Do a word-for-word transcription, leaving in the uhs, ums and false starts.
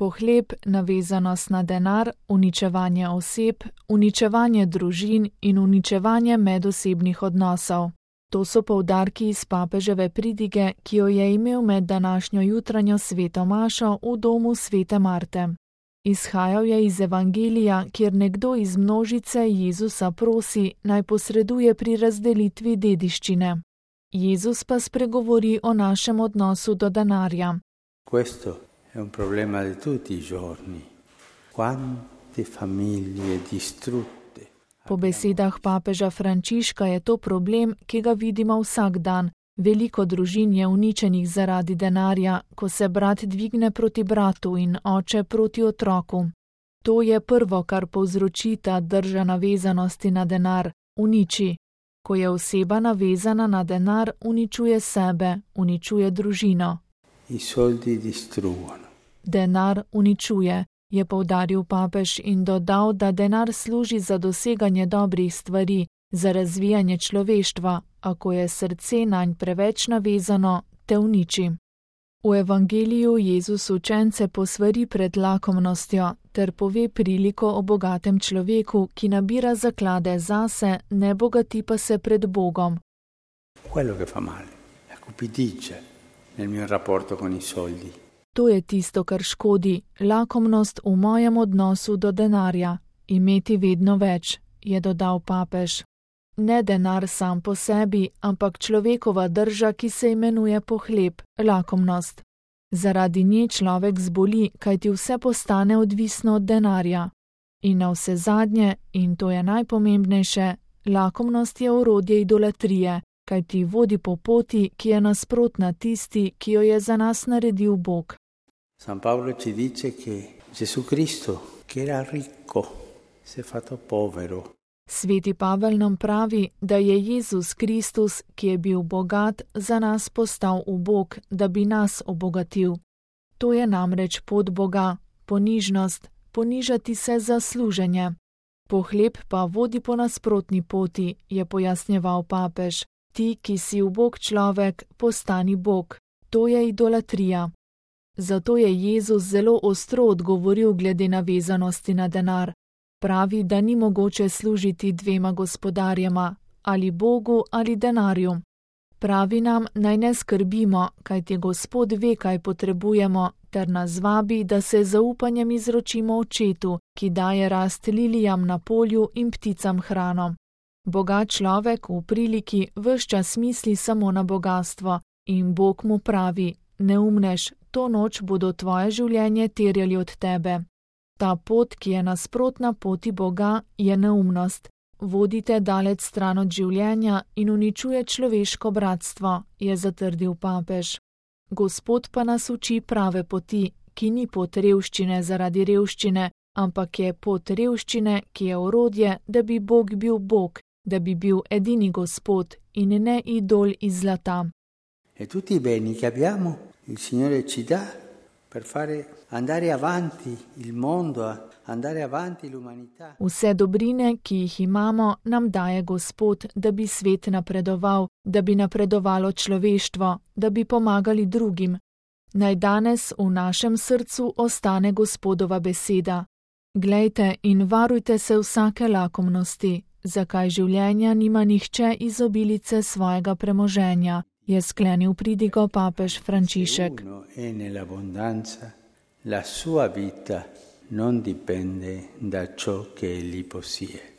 Pohleb, navezanost na denar, uničevanje oseb, uničevanje družin in uničevanje medosebnih odnosov. To so poudarki iz papeževe pridige, ki jo je imel med današnjo jutranjo sveto mašo v domu svete Marte. Izhajal je iz Evangelija, kjer nekdo iz množice Jezusa prosi, naj posreduje pri razdelitvi dediščine. Jezus pa spregovori o našem odnosu do denarja. Questo è un problema di tutti i giorni. Quante famiglie distrutte. Po besedah papeža Frančiška je to problem, ki ga vidimo vsak dan. Veliko družin je uničenih zaradi denarja, ko se brat dvigne proti bratu in oče proti otroku. To je prvo, kar povzroči ta drža navezanosti na denar, uniči. Ko je oseba navezana na denar, uničuje sebe, uničuje družino. I soldi distruggono. Denar uničuje, je poudaril papež in dodal, da denar služi za doseganje dobrih stvari, za razvijanje človeštva, a ko je srce nanj preveč navezano, te uniči. V Evangeliju Jezus učence posvari pred lakomnostjo ter pove priliko o bogatem človeku, ki nabira zaklade zase, ne bogati pa se pred Bogom. Quello che fa male, la cupidigia nel mio rapporto con i soldi. To je tisto, kar škodi, lakomnost v mojem odnosu do denarja, imeti vedno več, je dodal papež. Ne denar sam po sebi, ampak človekova drža, ki se imenuje pohleb, lakomnost. Zaradi nje človek zboli, kajti vse postane odvisno od denarja. In na vse zadnje, in to je najpomembnejše, lakomnost je orodje idolatrije, kajti vodi po poti, ki je nasprotna tisti, ki jo je za nas naredil Bog. San Paolo ci dice che Gesù Cristo, che era ricco, si è fatto povero. Sveti Pavel nam pravi, da je Jezus Kristus, ki je bil bogat, za nas postal ubog, da bi nas obogatil. To je namreč pot Boga, ponižnost, ponižati se za služenje. Pohleb pa vodi po nasprotni poti, je pojasnjeval papež. Ti, ki si ubog človek, postani Bog. To je idolatrija. Zato je Jezus zelo ostro odgovoril glede navezanosti na denar. Pravi, da ni mogoče služiti dvema gospodarjema, ali Bogu ali denarju. Pravi nam, naj ne skrbimo, kajti Gospod ve, kaj potrebujemo, ter nas vabi, da se zaupanjem izročimo Očetu, ki daje rast lilijam na polju in pticam hrano. Bogat človek v priliki ves čas misli samo na bogastvo in Bog mu pravi, neumnež, to noč bodo tvoje življenje terjali od tebe. Ta pot, ki je nasprotna poti Boga, je neumnost. Vodite daleč stran od življenja in uničuje človeško bratstvo, je zatrdil papež. Gospod pa nas uči prave poti, ki ni pot revščine zaradi revščine, ampak je pot revščine, ki je orodje, da bi Bog bil Bog, da bi bil edini Gospod in ne idol iz zlata. E tutti i beni che abbiamo, il Signore ci dà per fare andare avanti il mondo, andare avanti l'umanità. Vse dobrine, ki jih imamo, nam daje Gospod, da bi svet napredoval, da bi napredovalo človeštvo, da bi pomagali drugim. Naj danes v našem srcu ostane Gospodova beseda. Glejte in varujte se vsake lakomnosti, zakaj življenja nima nihče iz obilice svojega premoženja, je sklenil pridigo papež Frančišek. La sua vita non dipende da ciò che egli possiede.